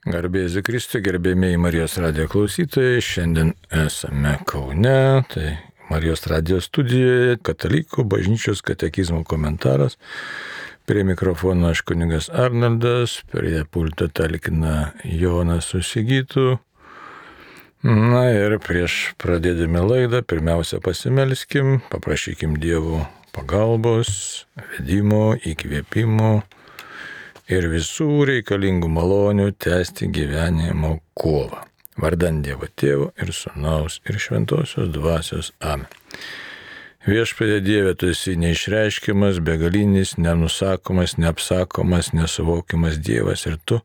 Garbėsiu Kristui, gerbėmėjai Marijos radijo klausytojai, šiandien esame Kaune, tai Marijos radijo studijoje, Katalikų bažnyčios katekizmo komentaras. Prie mikrofono aš kunigas Arnoldas, prie pulto talkina Jonas su Sigitu. Na ir prieš pradėdami laidą, pirmiausia pasimelskim, paprašykim Dievo pagalbos, vedimo, įkvėpimo ir visų reikalingų malonių tęsti gyvenimo kovą. Vardan Dievo Tėvo ir Sūnaus ir Šventosios Dvasios. Amen. Viešpatie Dieve, tu esi neišreiškiamas, begalinis, nenusakomas, neapsakomas, nesuvokiamas Dievas ir tu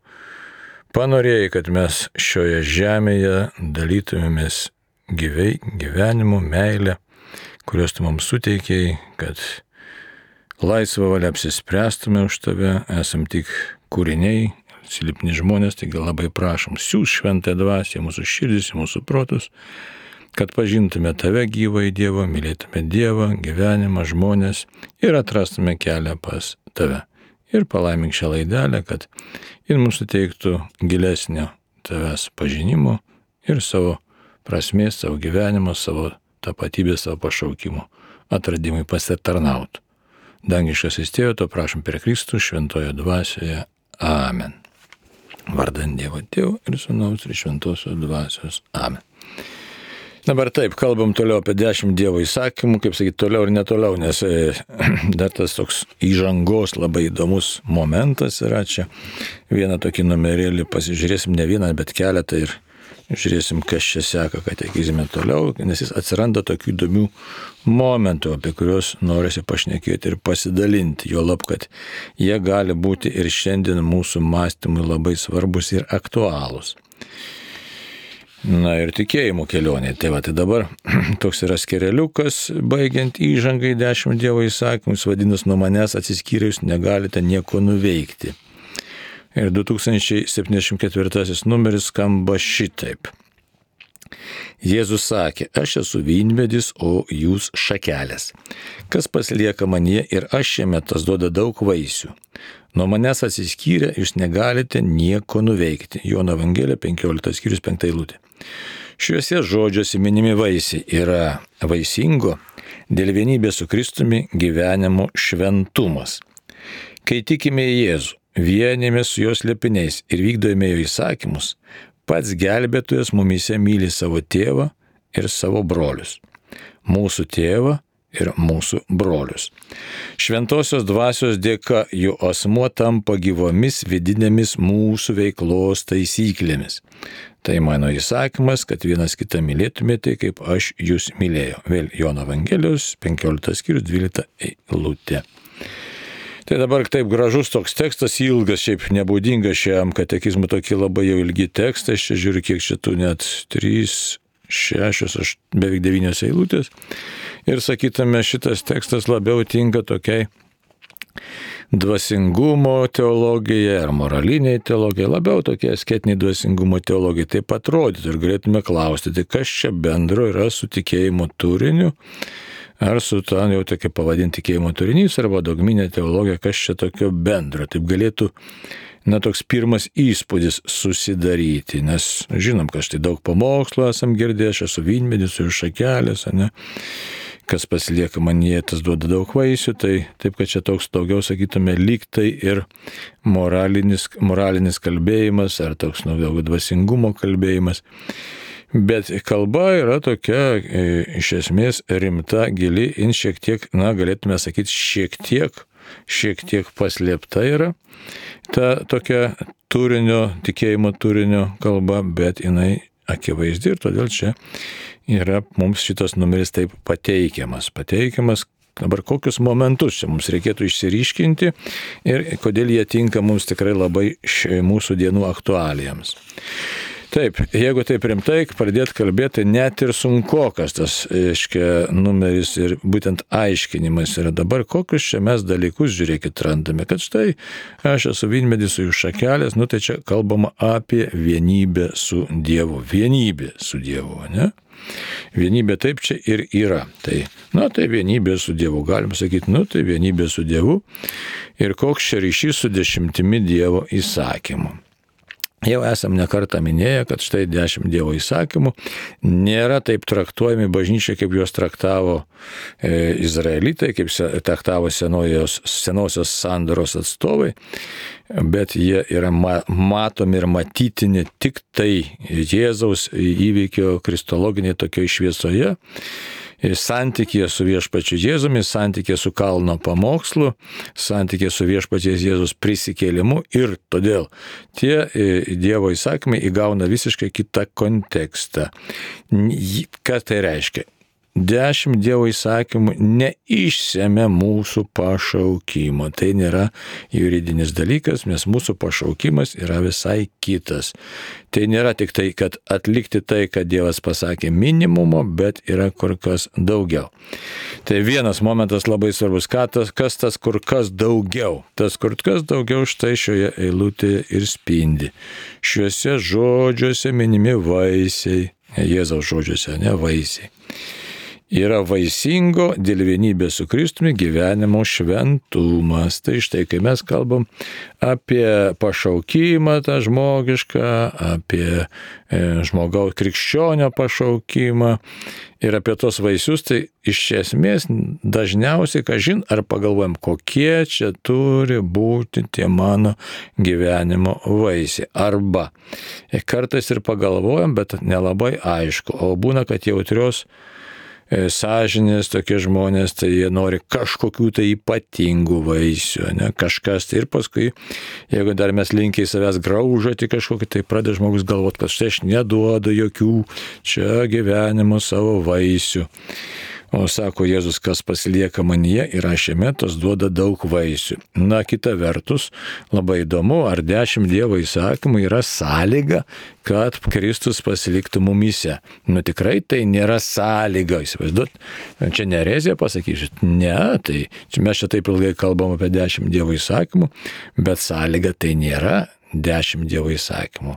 panorėjai, kad mes šioje žemėje dalytumėmės gyvenimu, meilę, kurios tu mums suteikėjai, kad laisvą valią apsispręstume už tave, esam tik kūriniai, silpni žmonės, taigi labai prašom, siųsk šventąją dvasią mūsų širdis, mūsų protus, kad pažintume tave gyvą į Dievą, mylėtume Dievą, gyvenimą, žmonės ir atrastume kelią pas tave. Ir palaimink šią laidelę, kad jin mums suteiktų gilesnio tavęs pažinimo ir savo prasmės, savo gyvenimo, savo tapatybės, savo pašaukimo atradimui pasitarnautų. Dangiškasis Tėve, to prašom per Kristų šventoje dvasioje. Amen. Vardan Dievo Tėvo ir Sūnaus ir Šventosios Dvasios. Amen. Dabar taip, kalbam toliau apie 10 Dievo įsakymų, kaip sakyti, toliau ir netoliau, nes dar tas toks įžangos labai įdomus momentas yra čia. Vieną tokį numerėlį pasižiūrėsim, ne vieną, bet keletą ir žiūrėsim, kas čia seka katekizme toliau, nes jis atsiranda tokių įdomių momentų, apie kuriuos norisi pašnekėti ir pasidalinti, juolab, kad jie gali būti ir šiandien mūsų mąstymui labai svarbus ir aktualūs. Na ir tikėjimo kelionė. Tai dabar toks yra skereliukas, baigiant įžangai 10 Dievo įsakymus, vadinasi, nuo manęs atsiskyrus negalite nieko nuveikti. Ir 2074 numeris skamba šitaip. Jėzus sakė, aš esu vynmedis, o jūs šakelės. Kas pasilieka manyje ir aš jame, tas duoda daug vaisių. Nuo manęs atsiskyrę, jūs negalite nieko nuveikti. Jono Evangelija 15 skyrius 5 eilutė. Šiuose žodžiuose minimi vaisiai yra vaisingo, dėl vienybės su Kristumi gyvenimo šventumas. Kai tikime į Jėzų, vienėmės su jos slėpiniais ir vykdome jo įsakymus, pats gelbėtojas mumyse myli savo tėvą ir savo brolius. Mūsų tėvą ir mūsų brolius. Šventosios dvasios dėka jų asmuo tampa gyvomis vidinėmis mūsų veiklos taisyklėmis. Tai mano įsakymas, kad vienas kitą mylėtumėte, kaip aš jūs mylėjau. Vėl Jono Evangelijos 15 skyrius 12 eilutė. Tai dabar taip gražus toks tekstas, ilgas, šiaip nebūdingas šiam katekizmui, tokie labai jau ilgi tekstai, aš čia žiūriu, kiek šitų net 3, 6, beveik 9 eilutės. Ir sakytume, šitas tekstas labiau tinka tokiai dvasingumo teologijai ar moraliniai teologijai, labiau tokie asketiniai dvasingumo teologijai. Taip atrodytų ir galėtume klausti, tai kas čia bendro yra su tikėjimo turiniu, ar su to jau tokia pavadinti tikėjimo turinys, arba dogminė teologija, kas čia tokio bendro. Taip galėtų, toks pirmas įspūdis susidaryti, nes žinom, kad štai daug pamokslo esam girdėję, aš esu vynmedis ir šakelės, kas pasilieka manyje, tas duoda daug vaisių, tai taip, kad čia toks daugiau, sakytume, lyg tai ir moralinis kalbėjimas, ar toks daugiau dvasingumo kalbėjimas. Bet kalba yra tokia, iš esmės, rimta, gili, šiek tiek, galėtume sakyti, šiek tiek paslėpta yra ta tokia tikėjimo turinio kalba, bet jinai akivaizdi ir todėl čia yra mums šitas numeris taip pateikiamas. Dabar kokius momentus čia mums reikėtų išsiryškinti ir kodėl jie tinka mums tikrai labai mūsų dienų aktualijams. Taip, jeigu taip rimtai pradėt kalbėti, net ir sunkokas tas numeris ir būtent aiškinimas yra dabar, kokius čia mes dalykus, žiūrėkit, randame, kad štai aš esu vynmedis su jų šakelės, tai čia kalbama apie vienybę su Dievu. Vienybė su Dievu, ne? Vienybė taip čia ir yra. Tai vienybė su Dievu, galim sakyti, tai vienybė su Dievu ir koks čia ryšys su 10 Dievo įsakymų. Jau esam nekartą minėję, kad štai 10 Dievo įsakymų nėra taip traktuojami bažnyčia, kaip juos traktavo izraelitai, kaip traktavo senosios sandoros atstovai, bet jie yra matomi ir matytini tik tai Jėzaus įvykio kristologinėje tokioje šviesoje, santykėje su viešpačiu Jėzumi, santykėje su kalno pamokslu, santykėje su viešpačiais Jėzus prisikėlimu ir todėl tie Dievo įsakymai įgauna visiškai kitą kontekstą. Ką tai reiškia? 10 Dievo įsakymų neišsemia mūsų pašaukimo. Tai nėra juridinis dalykas, nes mūsų pašaukimas yra visai kitas. Tai nėra tik tai, kad atlikti tai, kad Dievas pasakė minimumo, bet yra kur kas daugiau. Tai vienas momentas labai svarbus, kas tas kur kas daugiau. Tas kur kas daugiau štai šioje eilutėje ir spindi. Šiuose žodžiuose minimi vaisiai, Jėzaus žodžiuose, ne vaisiai. Yra vaisingo dėl vienybės su Kristumi gyvenimo šventumas. Tai štai, kai mes kalbam apie pašaukimą tą žmogišką, apie žmogaus krikščionio pašaukimą ir apie tos vaisius, tai iš esmės dažniausiai, kažin, ar pagalvojam, kokie čia turi būti tie mano gyvenimo vaisiai. Arba kartais ir pagalvojam, bet nelabai aišku. O būna, kad jautrios sąžinės tokie žmonės, tai jie nori kažkokių tai ypatingų vaisių, ne, kažkas. Tai ir paskui, jeigu dar mes linkiai savęs graužati kažkokį, tai pradeda žmogus galvoti, kad štai aš neduodu jokių čia gyvenimo savo vaisių. O sako Jėzus, kas pasilieka manyje ir aš jame, tas duoda daug vaisių. Na, kita vertus, labai įdomu, ar 10 Dievo įsakymų yra sąlyga, kad Kristus pasiliktų mumyse. Nu, tikrai tai nėra sąlyga, įsivaizduot. Čia ne erezija pasakysit, ne, tai mes čia taip ilgai kalbam apie 10 Dievo įsakymų, bet sąlyga tai nėra 10 Dievo įsakymų.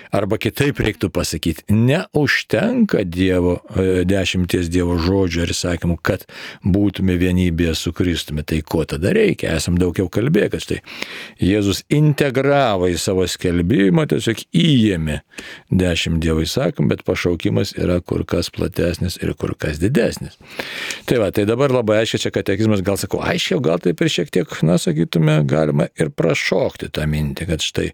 Arba kitaip reiktų pasakyti, neužtenka 10 Dievo žodžių ir įsakymų, kad būtume vienybėje su Kristumi. Tai ko tada reikia? Esam daug jau kalbėję, kad štai Jėzus integravo į savo skelbimą, tiesiog įėmė 10 Dievo įsakymų, bet pašaukimas yra kur kas platesnis ir kur kas didesnis. Tai va, tai dabar labai aiškiai čia katekizmas, gal sakau, aiškiau, gal taip ir šiek tiek, na, sakytume, galima ir prašokti tą mintį, kad štai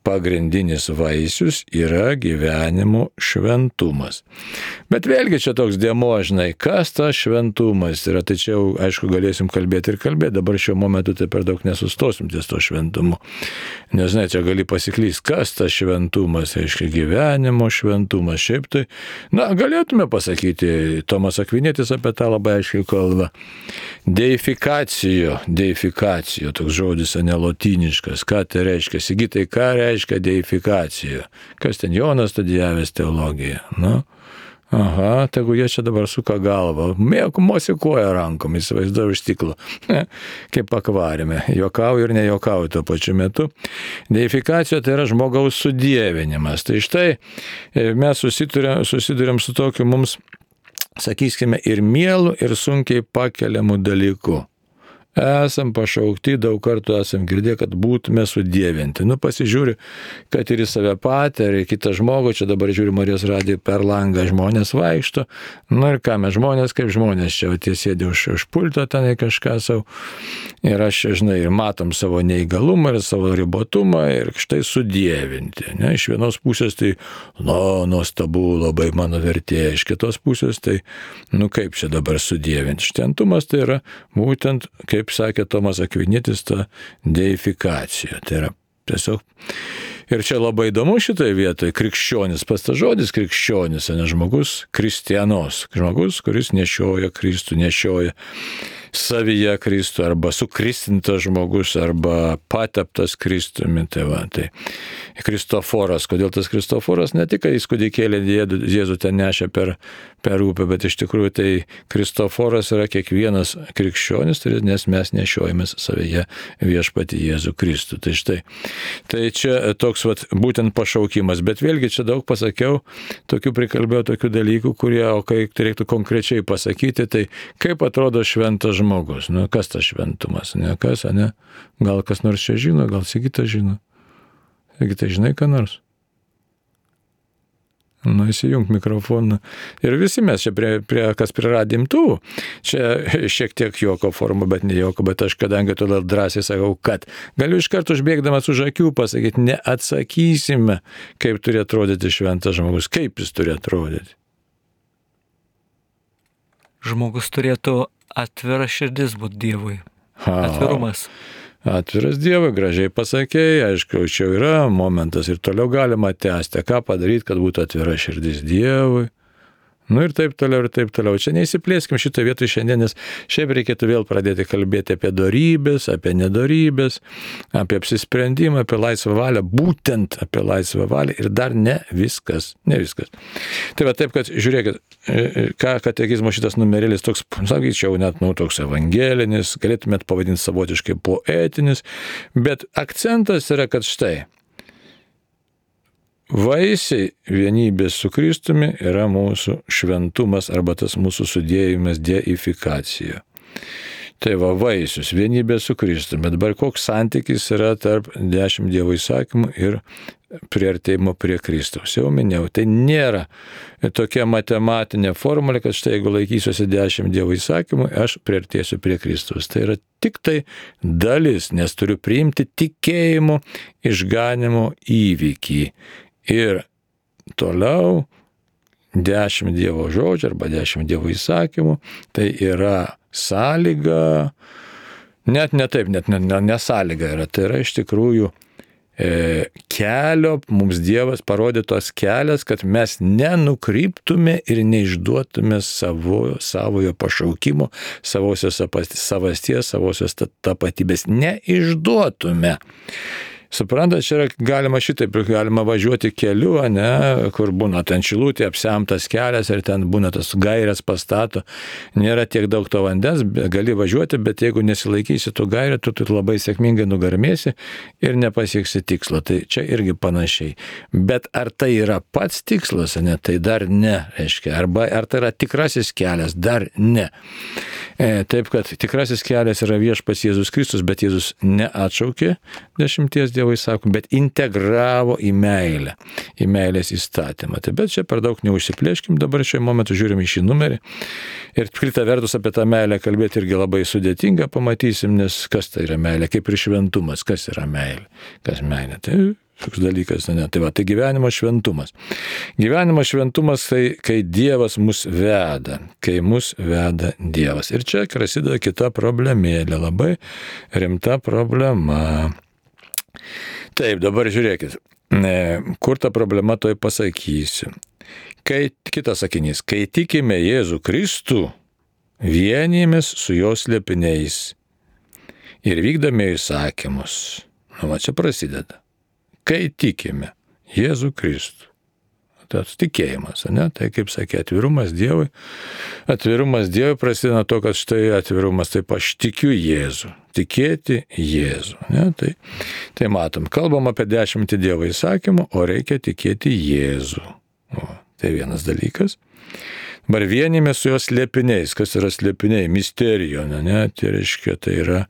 pagrindinis vaisius yra gyvenimo šventumas. Bet vėlgi čia toks dėmuo, žinai, kas tas šventumas yra, tai čia jau, aišku, galėsim kalbėti, dabar šiuo momentu tai per daug nesustosim ties to šventumu. Nes, žinai, čia gali pasiklysti, kas tas šventumas, reiškia gyvenimo šventumas, šiaip tai, na, galėtume pasakyti, Tomas Akvinietis apie tą labai aiškiai kalba. Deifikacijo, toks žodis, ne lotyniškas, ką tai reiškia, Sigitai, ką reiškia deifikacija? Kas ten Jonas studijavęs teologiją? Nu, aha, tegu jie čia dabar suka galvą, mosikuoja rankom, įsivaizduoju iš stiklo, kaip akvariume, juokauju ir nejuokauju tuo pačiu metu. Deifikacija tai yra žmogaus sudievinimas. Tai štai mes susiduriam su tokiu mums, sakykime, ir mielu, ir sunkiai pakeliamu dalyku. Esam pašaukti, daug kartų esam girdėję, kad būtume sudievinti. Nu, pasižiūri, kad ir į save patį, ir į kitą žmogų, čia dabar žiūri Marijos radiją per langą, žmonės vaikšto. Nu ir ką mes žmonės, kaip žmonės, čia tie sėdė už pulto tenai kažką savo. Ir aš, žinai, ir matom savo neįgalumą ir savo ribotumą ir štai sudievinti. Ne? Iš vienos pusės tai, nuostabu, labai mano vertė. Iš kitos pusės tai, kaip čia dabar sudievinti. Šventumas tai yra būtent, kaip sakė Tomas Akvinietis, ta deifikacija. Tai yra tiesiog. Ir čia labai įdomu šitoje vietoje, krikščionis, pats tas žodis krikščionis, ne žmogus, kristianos, žmogus, kuris nešioja Kristų, nešioja savyje Kristų, arba sukristintas žmogus, arba pateptas Kristumi. Tai Kristoforas, kodėl tas Kristoforas ne tik jis kūdikėlį Jėzų ten nešė per upę, bet iš tikrųjų tai Kristoforas yra kiekvienas krikščionis, nes mes nešiojamės savyje viešpatį Jėzų Kristų. Tai štai, tai čia toks būtent pašaukimas, bet vėlgi čia daug pasakiau, prikalbėjau tokių dalykų, kurie, o kai reiktų konkrečiai pasakyti, tai kaip atrodo šventas žmogus, kas tas šventumas, ne kas, ne? Gal kas nors čia žino, gal Sigita žino. Taigi tai žinai ką nors? Įsijunk mikrofoną. Ir visi mes čia kas prie radijo imtuvų. Čia šiek tiek juoko forma, bet ne juoko, bet aš kadangi todėl drąsiai sakau, kad galiu iš karto užbėgdamas už akių pasakyti, neatsakysime, kaip turi atrodyti šventas žmogus, kaip jis turi atrodyti. Žmogus turėtų atvira širdis būti Dievui. Atvirumas. Atviras Dievui, gražiai pasakėjai, aišku, čia yra momentas ir toliau galima tęsti, ką padaryti, kad būtų atvira širdis Dievui. Ir taip toliau, ir taip toliau. Čia neįsiplėskim šitą vietą šiandien, nes šiaip reikėtų vėl pradėti kalbėti apie dorybės, apie nedorybės, apie apsisprendimą, apie laisvą valią, būtent apie laisvą valią ir dar ne viskas. Tai va taip, kad žiūrėkit, ką katekizmo šitas numerėlis toks, sakyčiau, net toks evangelinis, galėtumėt pavadinti savotiškai poetinis, bet akcentas yra, kad štai, vaisiai vienybės su Kristumi yra mūsų šventumas arba tas mūsų sudėjimas deifikacija. Tai va vaisius, vienybė su Kristumi. Dabar koks santykis yra tarp 10 Dievo įsakymų ir priartėjimo prie Kristaus. Jau minėjau, tai nėra tokia matematinė formulė, kad štai jeigu laikysiuosi 10 Dievo įsakymų, aš priartėsiu prie Kristaus. Tai yra tik tai dalis, nes turiu priimti tikėjimo išganimo įvykį. Ir toliau 10 Dievo žodžių arba 10 Dievo įsakymų, tai yra sąlyga, net ne sąlyga yra, tai yra iš tikrųjų kelio, mums Dievas parodytos kelias, kad mes nenukryptume ir neišduotume savojo pašaukimo, savosios savasties, savosios tapatybės, neišduotume. Suprantat, čia galima šitaip, galima važiuoti keliu, kur būna ten šilutė, apsemtas kelias ir ten būna tas gairės pastato, nėra tiek daug to vandens, gali važiuoti, bet jeigu nesilaikysi tų gairių, tu labai sėkmingai nugarmėsi ir nepasieksi tikslo. Tai čia irgi panašiai. Bet ar tai yra pats tikslas, tai dar ne, reiškia. Arba ar tai yra tikrasis kelias, dar ne. Taip, kad tikrasis kelias yra viešpats Jėzus Kristus, bet Jėzus neatšaukė 10 Dievo įsakymų, bet integravo į meilę, į meilės įstatymą. Tai bet čia per daug neužsiplėškim, dabar šiuo momentu žiūrim į šį numerį. Ir kita vertus apie tą meilę kalbėti irgi labai sudėtinga, pamatysim, nes kas tai yra meilė, kaip ir šventumas, kas yra meilė, kas meilė. Tai toks dalykas, Tai va, tai gyvenimo šventumas. Gyvenimo šventumas tai, kai Dievas mus veda, kai mus veda Dievas. Ir čia prasideda kita problemėlė, labai rimta problema. Taip, dabar žiūrėkit, kur ta problema toj pasakysiu. Kitas sakinys, kai tikime Jėzų Kristų, vienijamės su jo slėpiniais ir vykdome įsakymus. Va čia prasideda. Kai tikime Jėzų Kristų. Tas tikėjimas, Tai kaip sakė, atvirumas Dievui. Atvirumas Dievui prasideda nuo to, kad štai atvirumas, taip aš tikiu Jėzų. Tikėti Jėzų. Tai matom, kalbam apie 10 Dievo įsakymų, o reikia tikėti Jėzų. Tai vienas dalykas. Dabar vienime su jos slėpiniais. Kas yra slėpiniai? Misterijo, Tai reiškia, tai yra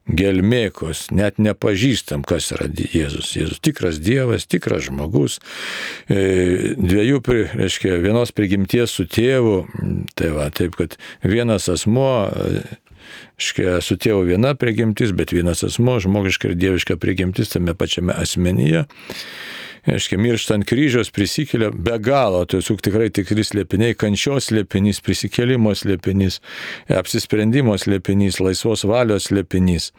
gelmėkos. Net nepažįstam, kas yra Jėzus. Jėzus tikras Dievas, tikras žmogus. Reiškia, vienos prigimties su tėvu. Tai va, taip, kad vienas asmuo, reiškia, su tėvu viena prigimtis, bet vienas asmuo, žmogiška ir dieviška prigimtis tame pačiame asmenyje. Reiškia, mirštant kryžiaus prisikelia be galo, tai tikrai tikri slėpiniai, kančios slėpinys, prisikėlimo slėpinys, apsisprendimo slėpinys, laisvos valios slėpinys.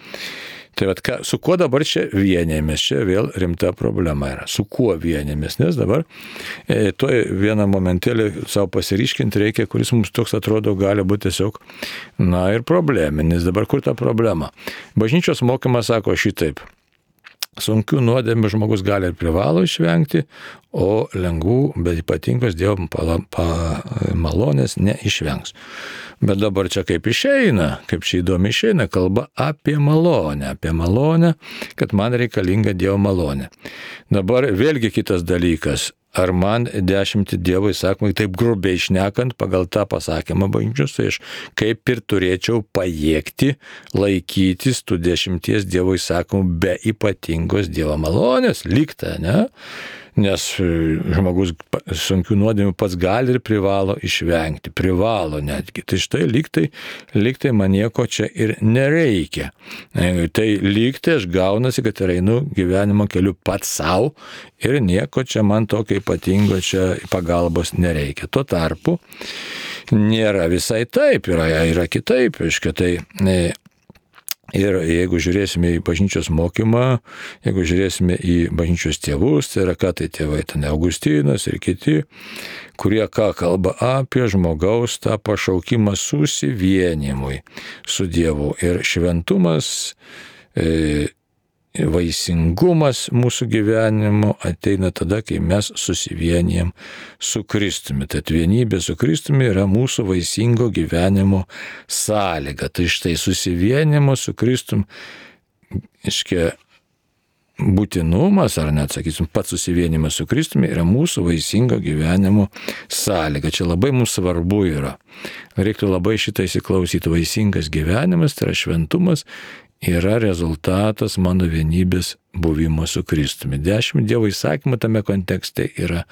Tai vat, su kuo dabar čia vienėmės? Čia vėl rimta problema yra. Su kuo vienėmės? Nes dabar to vieną momentėlį savo pasiryškinti reikia, kuris mums toks atrodo gali būti tiesiog, ir probleminis. Dabar kur ta problema? Bažnyčios mokymas sako šitaip. Sunkių nuodėmių žmogus gali ir privalo išvengti, o lengvų, bet ypatingos Dievo malonės neišvengs. Bet dabar čia kaip išeina, kaip čia įdomi išeina, kalba apie malonę, kad man reikalinga Dievo malonė. Dabar vėlgi kitas dalykas, ar man 10 Dievo įsakymai, taip grubiai šnekant, pagal tą pasakymą bažnyčios, tai aš kaip ir turėčiau pajėgti laikytis tų 10 Dievo įsakymų be ypatingos Dievo malonės, lygta, ne? Nes žmogus sunkių nuodėmių pats gali ir privalo išvengti, privalo netgi. Tai štai lygtai man nieko čia ir nereikia. Tai lygtai aš gaunasi, kad ir einu gyvenimo keliu pats savo ir nieko čia man tokio ypatingo čia pagalbos nereikia. Tuo tarpu nėra visai taip, yra kitaip, tai ir jeigu žiūrėsime į bažnyčios mokymą, jeigu žiūrėsime į bažnyčios tėvus, tai yra ką tai tėvai, ten Augustinas ir kiti, kurie ką kalba apie žmogaus tą pašaukimą susivienimui su Dievu. Ir šventumas, vaisingumas mūsų gyvenimo ateina tada, kai mes susivienijam su Kristumi. Tad vienybė su Kristumi yra mūsų vaisingo gyvenimo sąlyga. Tai štai susivienimo su Kristumi, iškia, būtinumas, ar net, sakysim, pats susivienimas su Kristumi yra mūsų vaisingo gyvenimo sąlyga. Čia labai mums svarbu yra. Reiktų labai šitą įsiklausyti. Vaisingas gyvenimas, tai yra šventumas, yra rezultatas mano vienybės buvimo su Kristumi. 10 Dievo įsakymų tame kontekste yra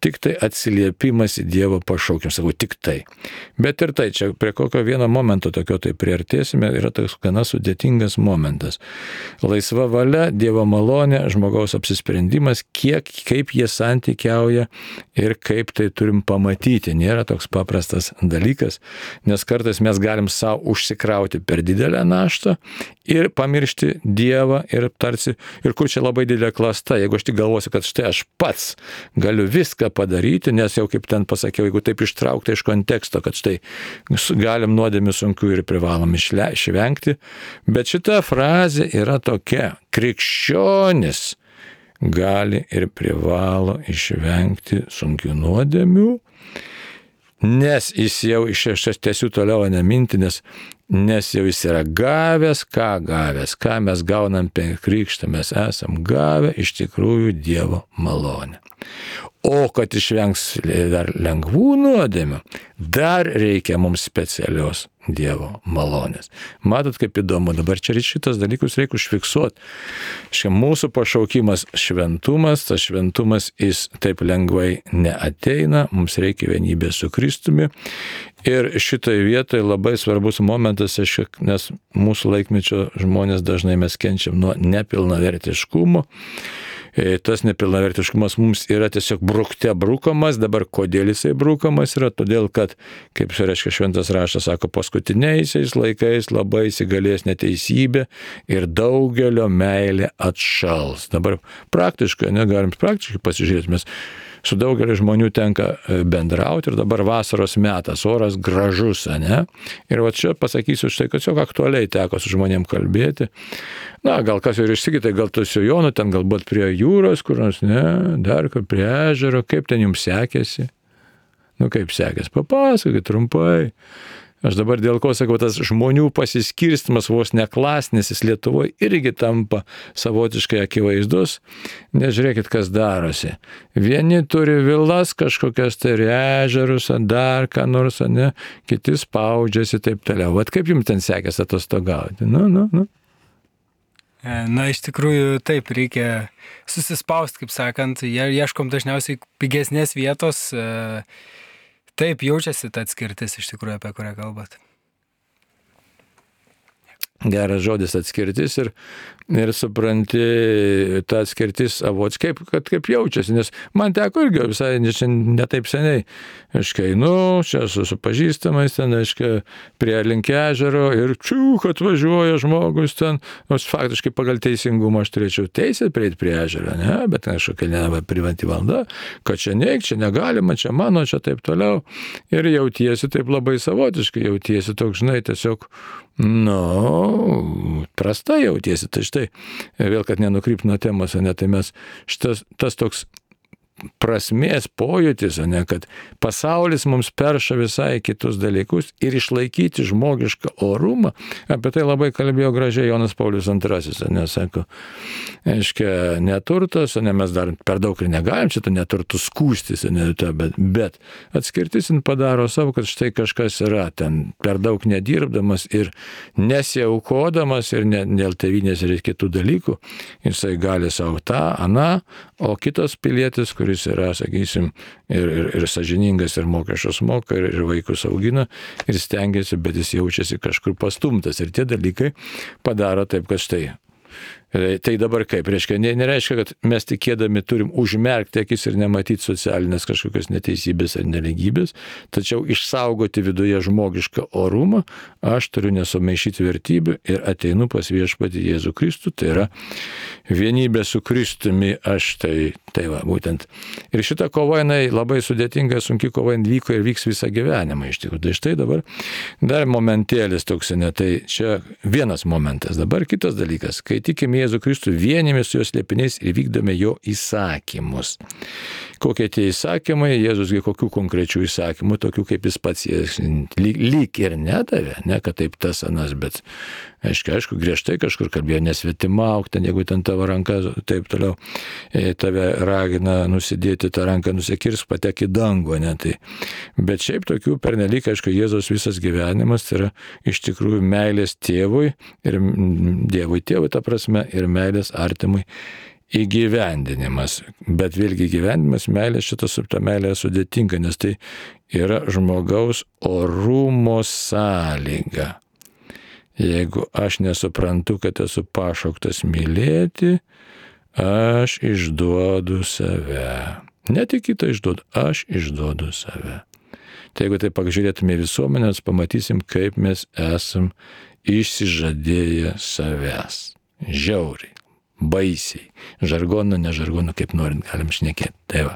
tik tai atsiliepimas į Dievo pašaukimą, sakau, tik tai. Bet ir tai, čia prie kokio vieno momento tokio tai priartėsime, yra toks gana sudėtingas momentas. Laisva valia, Dievo malonė, žmogaus apsisprendimas, kaip jie santykiauja ir kaip tai turim pamatyti. Nėra toks paprastas dalykas, nes kartais mes galim savo užsikrauti per didelę naštą ir pamiršti Dievą ir tarsi, ir kur čia labai didelė klasta, jeigu aš tik galvosiu, kad štai aš pats galiu viską padaryti, nes jau kaip ten pasakiau, jeigu taip ištraukti iš konteksto, kad štai galim nuodėmių sunkių ir privalom išvengti, bet šita frazė yra tokia: krikščionis gali ir privalo išvengti sunkių nuodėmių, nes jis jau tęsiu toliau neminti, nes jau jis yra gavęs, ką mes gaunam per krikštą, mes esam gavę iš tikrųjų Dievo malonę. O kad išvengs dar lengvų nuodėmių, dar reikia mums specialios Dievo malonės. Matot, kaip įdomu, dabar čia šitas dalykus reikia užfiksuoti. Mūsų pašaukimas šventumas, tas šventumas jis taip lengvai neateina, mums reikia vienybės su Kristumi. Ir šitoje vietoje labai svarbus momentas, nes mūsų laikmečio žmonės dažnai mes kenčiam nuo nepilnavertiškumo. Tas nepilnavertiškumas mums yra tiesiog brukte brukamas. Dabar kodėl jisai brukamas yra? Todėl, kad, kaip reiškia šventas raštas, sako, paskutiniaisiais laikais labai įsigalės neteisybė ir daugelio meilė atšals. Dabar praktiškai, negalim praktiškai pasižiūrėti, mes su daugeliu žmonių tenka bendrauti ir dabar vasaros metas, oras gražus, ne? Ir va čia pasakysiu štai, kad tiesiog aktualiai teko su žmonėm kalbėti. Na, gal kas ir išsikitai, gal tu su Jonu ten galbūt prie jūros, kur nors, ne, dar kur prie ežero, kaip ten jums sekėsi? Nu, kaip sekėsi, papasakokit trumpai. Aš dabar dėl ko sakau, tas žmonių pasiskirstimas vos neklasnis Lietuvoje irgi tampa savotiškai akivaizdus. Nežiūrėkit, kas darosi. Vieni turi vilas kažkokias tai ežerus, dar ką nors, ne, kiti spaudžiasi taip toliau. Vat kaip jums ten sekėsi atostogauti? Nu. Na, iš tikrųjų, taip, reikia susispausti, kaip sakant, ieškom dažniausiai pigesnės vietos. Taip, jaučiasi ta atskirtis iš tikrųjų, apie kurią kalbat. Geras žodis atskirtis ir supranti tą atskirtis savotiškai, kaip jaučiasi, nes man teko irgi visai ne taip seniai, čia su pažįstamais ten, prie link ežero ir kad važiuoja žmogus ten, nors faktiškai pagal teisingumą aš turėčiau teisę prieiti prie ežero, ne, bet kažkokia privati valda, kad čia neik, čia negalima, čia mano, čia taip toliau ir jautiesi taip labai savotiškai, jautiesi toks, žinai, tiesiog prastai jautiesi. Tai štai, vėl, kad nenukrypt nuo temos, ne, tai mes tas toks prasmės pojūtis, ne, kad pasaulis mums perša visai kitus dalykus ir išlaikyti žmogišką orumą. Apie tai labai kalbėjo gražiai Jonas Paulius II, nes sako, aiškia, neturtas, ne, mes dar per daug ir negalim šitą neturtų skūstis, ne, bet atskirtis padaro savo, kad štai kažkas yra ten per daug nedirbdamas ir nesiaukodamas ir dėl tėvynės ir kitų dalykų, jisai gali savo tą, aną, o kitas pilietis, kuris yra, sakysim, ir sąžiningas, ir mokesčius moka, ir vaikus augina, ir stengiasi, bet jis jaučiasi kažkur pastumtas. Ir tie dalykai padaro taip, kad štai. Tai dabar kaip? Nereiškia, kad mes tikėdami turim užmerkti akis ir nematyti socialinės kažkokios neteisybės ar neligybės, tačiau išsaugoti viduje žmogišką orumą, aš turiu nesumaišyti vertybių ir ateinu pas viešpatį Jėzų Kristų, tai yra vienybė su Kristumi, aš tai va, būtent. Ir šita kova, jinai labai sudėtinga, sunki kova, vyko ir vyks visą gyvenimą iš tikrųjų. Tai štai dabar dar momentėlis toks, ne, tai čia vienas momentas. Dabar kitas dalykas, kai tikime Jėzų Kristų, vienėmės su jo slėpiniais ir vykdome jo įsakymus. Kokie tie įsakymai, Jėzusgi kokių konkrečių įsakymų, tokių kaip jis pats lyg ir nedavė, ne, kad taip tas anas, bet aišku, griežtai kažkur kalbėjo, nesvetimauk, ten jeigu ten tavo ranka, taip toliau, tave ragina nusidėti tą ranką, nusikirsk, patek į dangų, ne, tai. Bet šiaip tokių pernelyg, aišku, Jėzaus visas gyvenimas tai yra iš tikrųjų meilės tėvui ir Dievui tėvui, ta prasme, ir meilės artimui įgyvendinimas. Bet vėlgi gyvenimas, meilė, šita subta meilė sudėtinga, nes tai yra žmogaus orumo sąlyga. Jeigu aš nesuprantu, kad esu pašauktas mylėti, aš išduodu save. Ne tik kitą išduodu, aš išduodu save. Tai jeigu tai pažiūrėtume visuomenės, pamatysim, kaip mes esam išsižadėję savęs. Žiauriai, baisiai. Žargonu, ne žargonu, kaip norint, galim šnekėti. Tai va.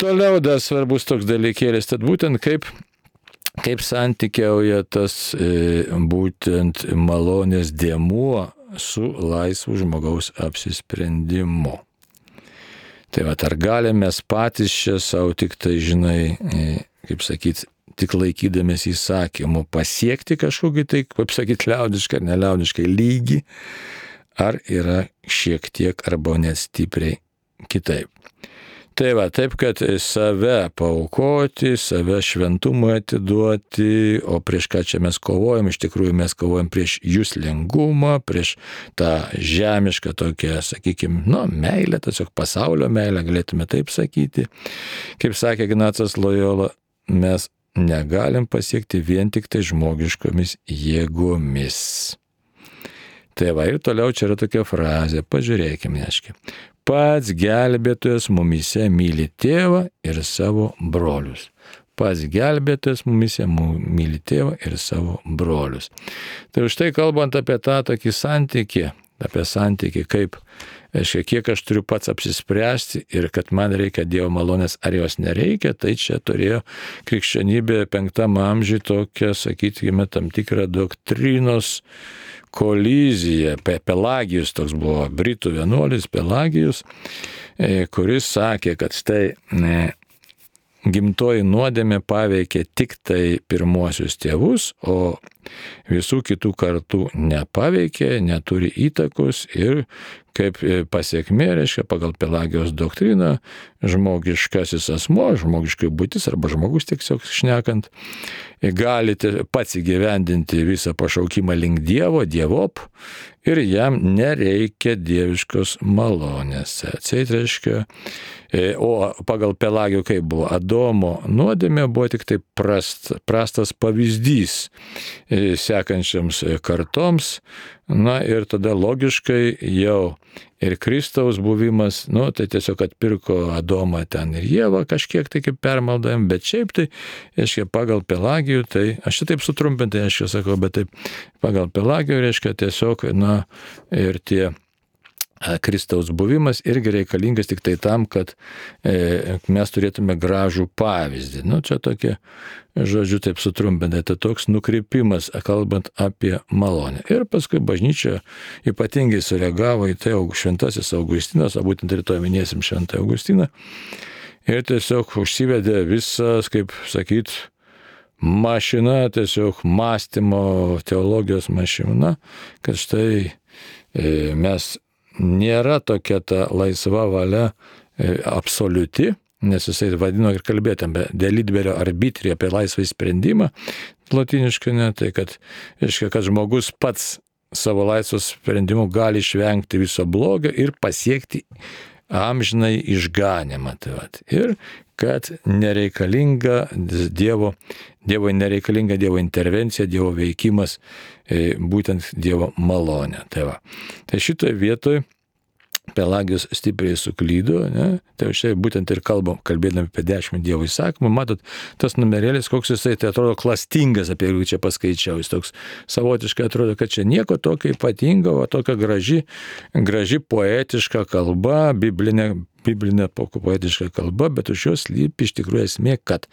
Toliau dar svarbus toks dalykėlis, tad būtent kaip santykiauja tas būtent malonės dėmuo su laisvu žmogaus apsisprendimu. Tai va, ar galime mes patys čia savo tik tai, žinai, kaip sakyti, tik laikydamės įsakymų pasiekti kažkokį tai, kaip sakyti, liaudiškai ar neliaudiškai lygį, ar yra šiek tiek arba net stipriai kitaip. Tai va, taip, kad save paaukoti, save šventumui atiduoti, o prieš ką čia mes kovojam, iš tikrųjų mes kovojam prieš juslingumą, prieš tą žemišką tokią, sakykime, meilę, tiesiog pasaulio meilę, galėtume taip sakyti. Kaip sakė Ignacas Lojola, mes negalim pasiekti vien tik tai žmogiškomis jėgomis. Tai va, ir toliau čia yra tokia frazė, pažiūrėkime, aiškiai. Pats gelbėtojas mumyse myli tėvą ir savo brolius. Pats gelbėtojas mumyse myli tėvą ir savo brolius. Tai už tai kalbant apie tą tokį santykį, kaip, aiškiai, kiek aš turiu pats apsispręsti ir kad man reikia Dievo malonės ar jos nereikia, tai čia turėjo krikščionybė 5 amžiuje tokią, sakykime, tam tikrą doktrinos koliziją. Pelagijus toks buvo, britų vienuolis Pelagijus, kuris sakė, kad štai gimtoji nuodėmė paveikia tik tai pirmuosius tėvus, o visų kitų kartų nepaveikė, neturi įtakos ir kaip pasiekmė, reiškia, pagal Pelagijos doktriną, žmogiškasis asmuo, žmogiškai būtis arba žmogus tiesiog šnekant, galite pats įgyvendinti visą pašaukimą link Dievo, Dievop, ir jam nereikia dieviškos malonės. Atseit reiškia, o pagal Pelagijų kaip buvo, Adomo nuodėmė buvo tik tai prastas pavyzdys sekančiams kartoms, na ir tada logiškai jau ir Kristaus buvimas, tai tiesiog atpirko Adomą ten ir Ievą kažkiek tai kaip permaldavim, bet šiaip tai, reiškia, pagal Pelagijų, tai aš čia taip sutrumpintai, sakau, bet taip pagal Pelagijų, reiškia, tiesiog, ir tie Kristaus buvimas irgi reikalingas tik tai tam, kad mes turėtume gražų pavyzdį. Čia tokie, žodžiu, taip sutrumpintai, tai toks nukrypimas, kalbant apie malonę. Ir paskui bažnyčia ypatingai sureagavo į tai šventasis Augustinas, o būtent rytoj minėsim šventą Augustiną, ir tiesiog užsivedė visas, kaip sakyt, mašina, tiesiog mąstymo, teologijos mašina, kad štai mes nėra tokia ta laisva valia absoliuti, nes jisai vadino ir kalbėtame dėl libero arbitri apie laisvą sprendimą, lotyniškai, tai kad žmogus pats savo laisvos sprendimu gali išvengti viso blogio ir pasiekti amžinai išganimą. Ir kad nereikalinga Dievui nereikalinga Dievo intervencija, Dievo veikimas, būtent Dievo malonė. Tai šitoje vietoje Pelagijus stipriai suklydo, ne? Tai šiai būtent ir kalbėdami apie 10 Dievo įsakymų, matot, tas numerėlis, koks jisai, tai atrodo klastingas, apie jį čia paskaičiau, jis toks savotiškai atrodo, kad čia nieko tokio ypatingo, o tokia graži poetiška kalba, biblinė poetiška kalba, bet už jos slypi iš tikrųjų esmė, kad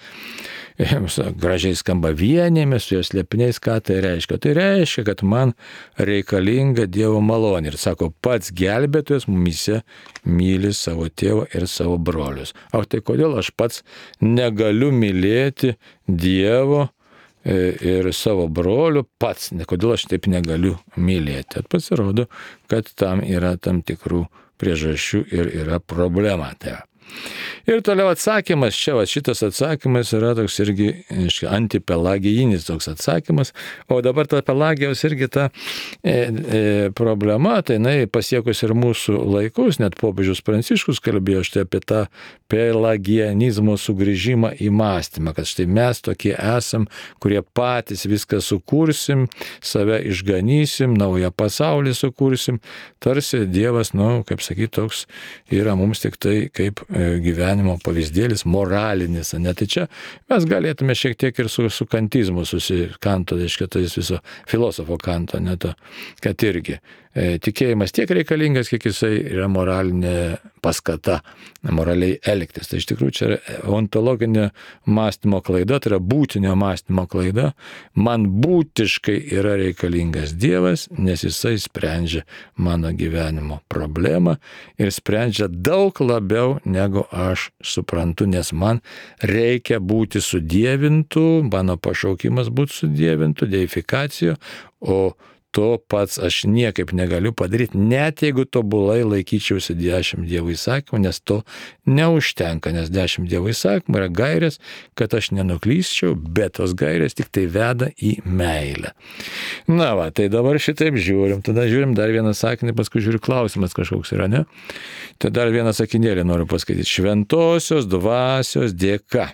gražiai skamba vienėmis, su jos slėpiniais, ką tai reiškia? Tai reiškia, kad man reikalinga Dievo malonė. Ir sako, pats gelbėtojas mumyse myli savo tėvą ir savo brolius. O tai kodėl aš pats negaliu mylėti Dievo ir savo brolių pats? Kodėl aš taip negaliu mylėti? Pasirodo, kad tam yra tam tikrų priežasčių ir yra problema. Ir toliau atsakymas, šitas atsakymas yra toks irgi antipelagijinis toks atsakymas, o dabar ta Pelagijos irgi ta problema, tai jinai pasiekus ir mūsų laikus, net popiežius Pranciškus kalbėjo štai apie tą pelagianizmo sugrįžimą į mąstymą, kad štai mes tokie esam, kurie patys viską sukursim, save išganysim, naują pasaulį sukursim, tarsi Dievas, kaip sakyti, toks yra mums tik tai kaip gyvenimo pavyzdėlis, moralinis. Tai čia mes galėtume šiek tiek ir su kantizmu Kanto, tai viso filosofo Kanto, kad irgi tikėjimas tiek reikalingas, kiek jisai yra moralinė paskata, moraliai elgtis. Tai iš tikrųjų čia yra ontologinė mąstymo klaida, tai yra būtinio mąstymo klaida. Man būtiškai yra reikalingas Dievas, nes jisai sprendžia mano gyvenimo problemą ir sprendžia daug labiau, negu aš suprantu, nes man reikia būti sudievintų, mano pašaukimas būti sudievintų, deifikacijo, o to pats aš niekaip negaliu padaryti, net jeigu tobulai laikyčiausi 10 Dievo įsakymų, nes to neužtenka, nes 10 Dievo įsakymų yra gairės, kad aš nenuklysčiau, bet tos gairės tik tai veda į meilę. Tai dabar šitaip žiūrim, tada žiūrim dar vieną sakinį, paskui žiūriu klausimas kažkoks yra, ne? Tai dar vieną sakinėlį noriu paskaityti. Šventosios dvasios dėka.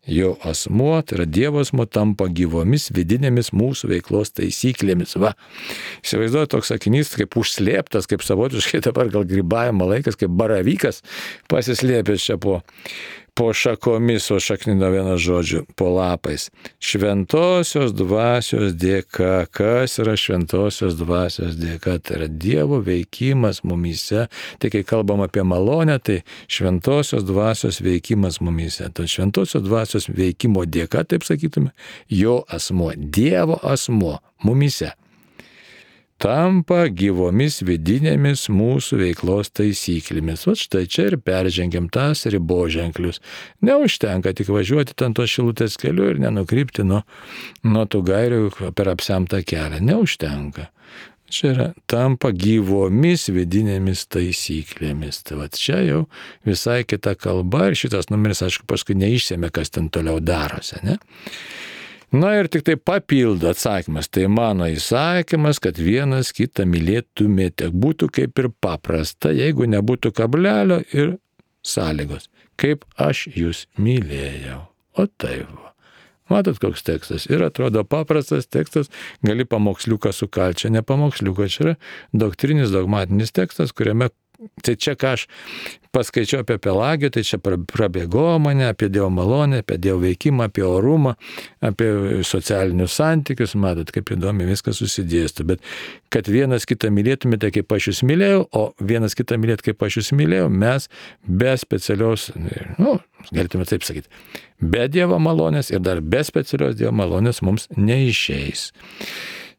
Jo asmuo, tai yra Dievo asmuo, tampa gyvomis vidinėmis mūsų veiklos taisyklėmis. Įsivaizduoju, toks sakinys kaip užslėptas, kaip savotiškai dabar gal grybavimo laikas, kaip baravykas pasislėpęs čia po šakomis, o šaknino vieną žodžių, po lapais. Šventosios dvasios dėka. Kas yra šventosios dvasios dėka? Tai yra Dievo veikimas mumyse. Tai kai kalbam apie malonę, tai šventosios dvasios veikimas mumyse. Tai šventosios dvasios veikimo dėka, taip sakytume, jo asmuo, Dievo asmuo mumyse tampa gyvomis vidinėmis mūsų veiklos taisyklėmis. Štai čia ir peržengiam tas riboženklius. Neužtenka tik važiuoti ten to Šilutės keliu ir nenukrypti nuo tų gairių per apsemtą kelią. Neužtenka. Čia yra tampa gyvomis vidinėmis taisyklėmis. Tai čia jau visai kita kalba ir šitas numeris, aišku, paskui neišsėmė, kas ten toliau darosi, ne? Ir tik tai papildo atsakymas. Tai mano įsakymas, kad vienas kitą mylėtumėte. Būtų kaip ir paprasta, jeigu nebūtų kablelio ir sąlygos. Kaip aš jūs mylėjau. O taip va. Matot, koks tekstas. Ir atrodo paprastas tekstas, gali pamoksliuką sukalti. Čia ne pamoksliuką, čia yra doktrinis, dogmatinis tekstas, kuriame Tai čia, ką aš paskaičiau apie Pelagiją, tai čia prabėgo mane apie Dievo malonę, apie Dievo veikimą, apie orumą, apie socialinius santykius, matot, kaip įdomi viskas susidėsto. Bet kad vienas kitą mylėtumėte, kaip aš jūs mylėjau, o vienas kitą mylėt, kaip aš jūs mylėjau, mes be specialios, galėtume taip sakyti, be Dievo malonės ir dar be specialios Dievo malonės mums neišeis.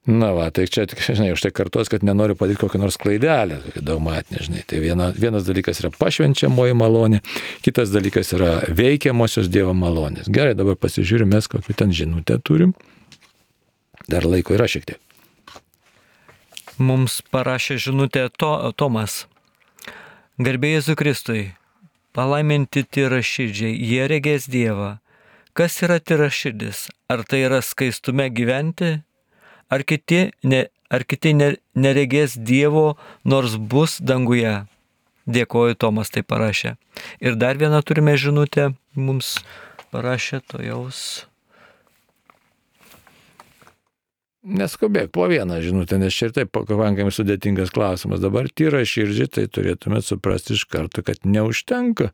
Na va, tai čia, žinai, už tai kartuos, kad nenoriu padaryti kokią nors klaidelę, kokią dogmatinę, žinai. Tai vienas dalykas yra pašvenčiamoji malonė, kitas dalykas yra veikiamosios Dievo malonės. Gerai, dabar pasižiūrime, kokią ten žinutę turim. Dar laiko yra šiek tiek. Mums parašė žinutę Tomas. Garbė Jėzui Kristui, palaiminti tyraširdžiai, jie regės Dievą. Kas yra tyraširdis? Ar tai yra skaistume gyventi? Ar kiti neregės Dievo, nors bus danguje? Dėkoju, Tomas tai parašė. Ir dar vieną turime žinutę, mums parašė Tojaus. Neskubėk, po vieną žinutę, nes čia ir taip pakankamai sudėtingas klausimas. Dabar tyraširdžiai, tai turėtume suprasti iš karto, kad neužtenka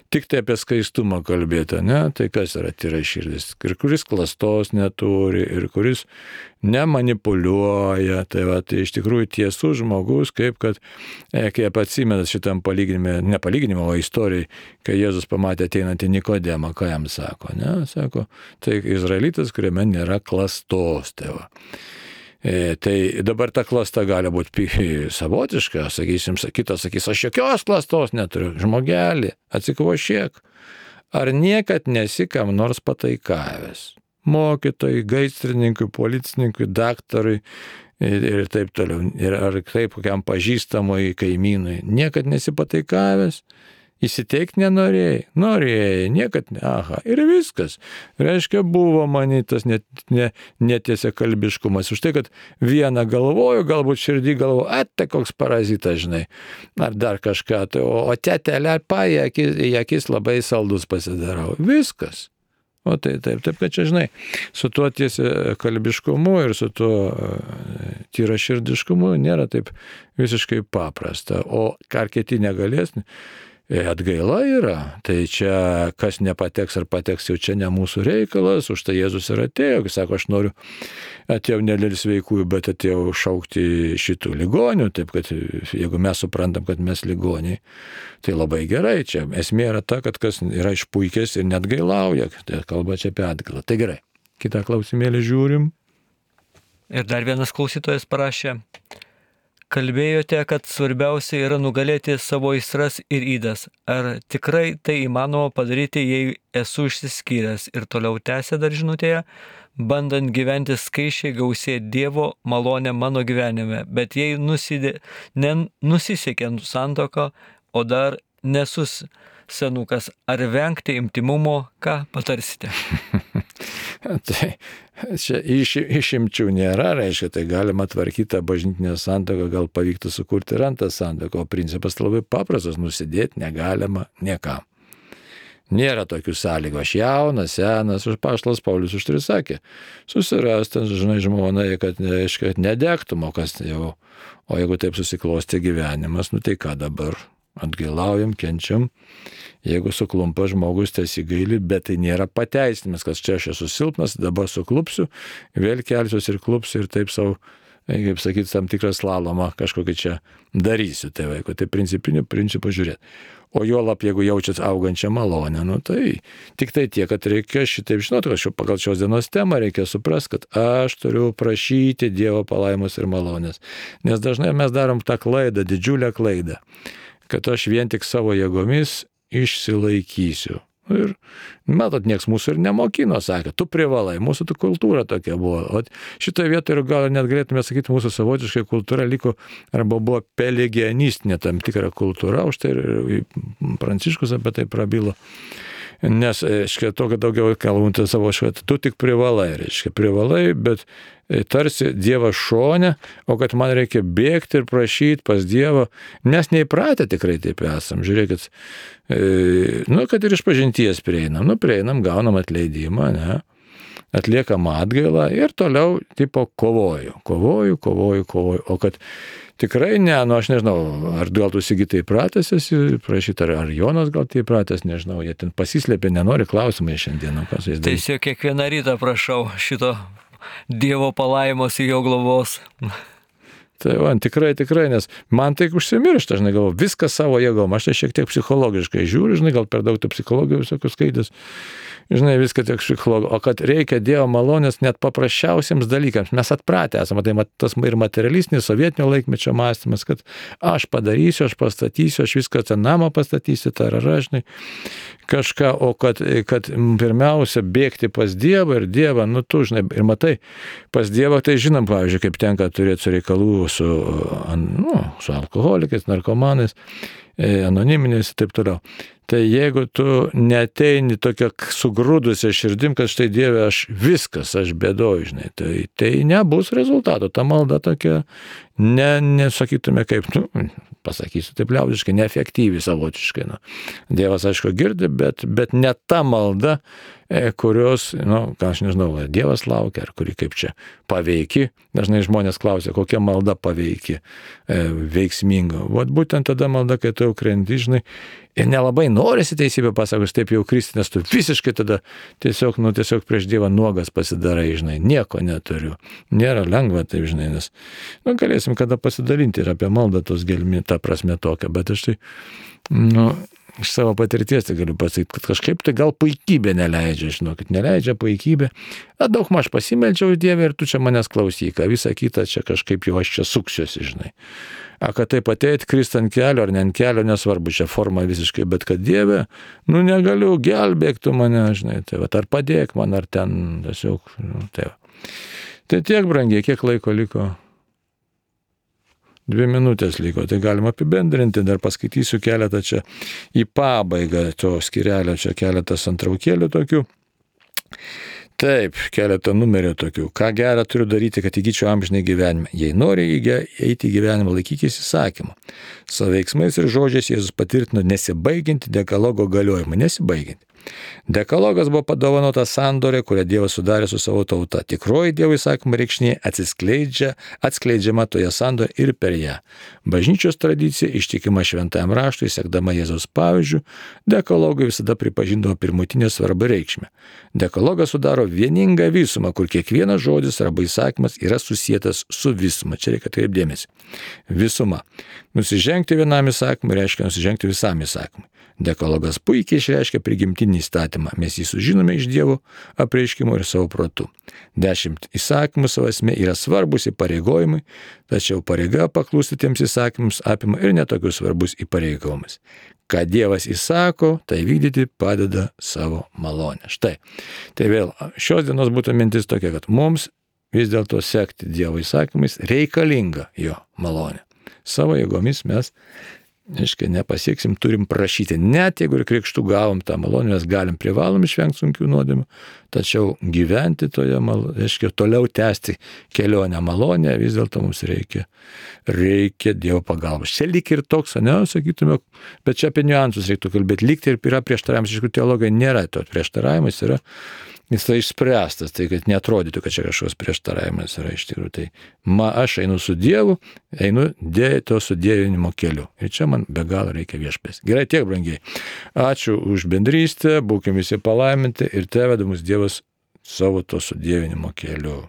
tik tai apie skaistumą kalbėti, ne? Tai kas yra tyraširdis? Ir kuris klastos neturi, ir kuris nemanipuliuoja. Tai va, tai iš tikrųjų tiesus žmogus, kaip kad, kaip atsimenat šitam palyginime, ne palyginimo, o istorijai, kai Jėzus pamatė ateinantį Nikodemą, ką jam sako, ne? Sako, tai izraelitas, kuriame nėra klastos, tai va. Tai dabar ta klasta gali būti savotiška, sakysim, kitas sakys, aš jokios klastos neturiu, žmogelį, atsikvošėk. Ar niekad nesi kam nors pataikavęs? Mokytojai, gaisrininkui, policininkui, daktarui ir taip toliau. Ir ar taip kokiam pažįstamui kaimynui. Niekad nesi pataikavęs? Įsiteikti nenorėjai? Norėjai, niekad ne. Aha, ir viskas. Reiškia, buvo manytas netiesia kalbiškumas. Už tai, kad vieną galvoju, galbūt širdį galvoju, tai koks parazitas, žinai, ar dar kažką, tai, o tetelę į akis labai saldus pasidarau. Viskas. O tai taip, kad čia, žinai, su tuo tiesia kalbiškumu ir su tuo tyraširdiškumu nėra taip visiškai paprasta. O ką kiti negalės, atgaila yra, tai čia kas nepateks ar pateks, jau čia ne mūsų reikalas, už tai Jėzus ir atėjo, kai sako, aš noriu, atėjau ne dėl sveikųjų, bet atėjau šaukti šitų ligonių, taip kad jeigu mes suprantam, kad mes ligoniai, tai labai gerai, čia esmė yra ta, kad kas yra išpuikęs ir net gailauja, tai kalba čia apie atgailą. Tai gerai, kitą klausimėlį žiūrim. Ir dar vienas klausytojas parašė. Kalbėjote, kad svarbiausia yra nugalėti savo aistras ir ydas. Ar tikrai tai įmanoma padaryti, jei esu išsiskyręs? Ir toliau tęsė dar žinutėje, bandant gyventi skaičiai gausėti Dievo malonę mano gyvenime. Bet jei nusisekė santuoką, o dar nesus senukas, ar vengti intymumo, ką patarsite? Tai čia išimčių nėra, reiškia, tai galima tvarkyti tą bažnytinę santuoką, gal pavyktų sukurti ir antrą santuoką, o principas labai paprastas, nusidėti negalima niekam. Nėra tokių sąlygų, aš jaunas, senas, apaštalas Paulius už tai sakė, susirasti, žinai, žmonai, kad nedegtum, o kas jau, o jeigu taip susiklosti gyvenimas, tai ką dabar? Atgailaujam, kenčiam, jeigu suklumpa žmogus, tai įsigaili, bet tai nėra pateisinimas, kad čia aš esu silpnas, dabar suklupsiu, vėl kelsiuosi ir klupsiu ir taip savo, kaip sakyti, tam tikrą slalomą kažkokį čia darysiu, tai vaiko, tai principinių principų žiūrėti. O juolab, jeigu jaučiat augančią malonę, tai tik tai tiek, kad reikia šitaip žinoti, kad pagal šios dienos temą reikia suprasti, kad aš turiu prašyti Dievo palaimos ir malonės. Nes dažnai mes darom tą klaidą, didžiulę klaidą, kad aš vien tik savo jėgomis išsilaikysiu. Ir, matot, nieks mūsų ir nemokino, sakė, tu privalai, mūsų kultūra tokia buvo. O šitoje vietoje ir gal net galėtume sakyti, mūsų savotiškai kultūra liko, arba buvo pelagianistinė tam tikra kultūra, už tai ir Pranciškus apie tai prabilo. Nes, reiškia, to, kad daugiau kalbant savo švatą, tu tik privalai, reiškia, privalai, bet tarsi Dievas šone, o kad man reikia bėgti ir prašyti pas Dievą, nes neįpratę tikrai taip esam. Žiūrėkit, kad ir iš pažinties prieinam, gaunam atleidimą, ne? atliekama atgaila ir toliau tipo kovoju. O kad tikrai ne, aš nežinau, ar gal tu Sigitai pratęs esi prašyti, ar Jonas gal tai pratęs, nežinau, jie ten pasislėpė, nenori klausimai šiandien. Tiesiog kiekvieną rytą prašau šito Dievo palaimos ir jo globos. Tai tikrai, nes man tai užsimiršta, žinai, galvoju, viską savo jėgom, aš tai šiek tiek psichologiškai žiūriu, žinai, gal per daug tų psichologijų visokių skaitęs, žinai, viską tiek psichologijų, o kad reikia Dievo malonės net paprasčiausiems dalykams, mes atpratę esame, tai tas ir materialistinis sovietinio laikmečio mąstymas, kad aš padarysiu, aš pastatysiu, aš viską tą namą pastatysiu, žinai, kažką, o kad pirmiausia bėgti pas Dievą ir Dievą, tu, žinai, ir matai, pas Dievą tai žinom, pavyzdžiui, kaip tenka turėti su reikalų su alkoholikais, narkomanais, anoniminiais ir taip toliau. Tai jeigu tu neteini tokia sugrūdusia širdim, kad štai Dieve, aš bėdoju, žinai, tai nebus rezultato. Ta malda tokia, nesakytume kaip, pasakysiu taip liaudiškai, neefektyvi savotiškai. Dievas, aišku, girdi, bet ne ta malda, kurios, ką aš nežinau, Dievas laukia, ar kuri kaip čia paveiki. Dažnai žmonės klausia, kokia malda paveiki, veiksminga. Vat būtent tada malda, kai tu jau krenti, žinai, ir nelabai norisi teisybę pasakus, taip jau kristi, nes tu visiškai tada tiesiog prieš Dievą nuogas pasidarai, žinai, nieko neturiu. Nėra lengva, taip, žinai, nes, galėsim kada pasidalinti ir apie maldą tos gelmi, ta prasme tokia, bet aš tai, iš savo patirties tai galiu pasakyti, kad kažkaip tai gal puikybė neleidžia, žinokit, neleidžia puikybė. Daug maž pasimeldžiau Dievę ir tu čia manęs klausyk, visą kitą čia kažkaip jau aš čia suksiuosi, žinai. Kad taip ateit, krist ant kelio ar ne ant kelio, nesvarbu, čia forma visiškai, bet kad Dieve, negaliu, gelbėk tu mane, žinai, tai ar padėk man, ar ten tiesiog, tai. Tai tiek, brangiai, kiek laiko liko? 2 minutės liko, tai galima apibendrinti, dar paskaitysiu keletą čia į pabaigą to skyrelio, čia keletas antraukėlių tokių. Taip, keletą numerių tokių. Ką gerą turiu daryti, kad įgyčiau amžinai gyvenimą? Jei nori eiti į gyvenimą, laikykis įsakymą. Savo veiksmais ir žodžiais Jėzus patvirtino nesibaigiantį dekalogo galiojimą. Nesibaigiantį. Dekalogas buvo padovanotas sandorė, kurią Dievas sudarė su savo tauta. Tikroji Dievo įsakymo reikšmė atskleidžiama toje sandorė ir per ją. Bažnyčios tradicija, ištikima šventajam raštui, sekdama Jėzaus pavyzdžiu, dekalogai visada pripažindavo pirmutinę svarbą reikšmę. Dekalogas sudaro vieningą visumą, kur kiekvienas žodis arba įsakymas yra susietas su visuma. Čia reikia atkreipti dėmesį. Visuma. Nusižengti vienam įsakymui reiškia nusižengti visam įsakymui. Dekalogas puikiai išreiškia prigimtinį įstatymą. Mes jį sužinome iš Dievo apreiškimo ir savo protu. 10 įsakymų savo esmė yra svarbus įpareigojimai, tačiau pareiga paklusti tiems įsakymams apima ir netokius svarbus įpareigojimus. Ką Dievas įsako, tai vykdyti padeda savo malonę. Štai. Tai vėl, šios dienos būtų mintis tokia, kad mums vis dėlto sekti Dievo įsakymais reikalinga jo malonė. Savo jėgomis mes nepasieksim, turim prašyti. Net jeigu ir krikštų gavom tą malonę, mes privalom išvengti sunkių nuodėmių, tačiau gyventi toje malonėje, toliau tęsti kelionę malonę, vis dėlto mums reikia Dievo pagalbos. Čia lyg ir toks, sakytume, bet čia apie niuansus reiktų kalbėti. Lyg ir yra prieštaravimas, iš tikrųjų teologai nėra to prieštaravimas, jis tai išspręstas, tai kad neatrodytų, kad čia kažkoks prieštaravimas yra iš tikrųjų. Tai aš einu su Dievu, einu to sudievinimo keliu. Ir čia man be galo reikia viešpės. Gerai, tiek, brangiai. Ačiū už bendrystę, būkime visi palaiminti ir te veda mus Dievas savo to sudievinimo keliu.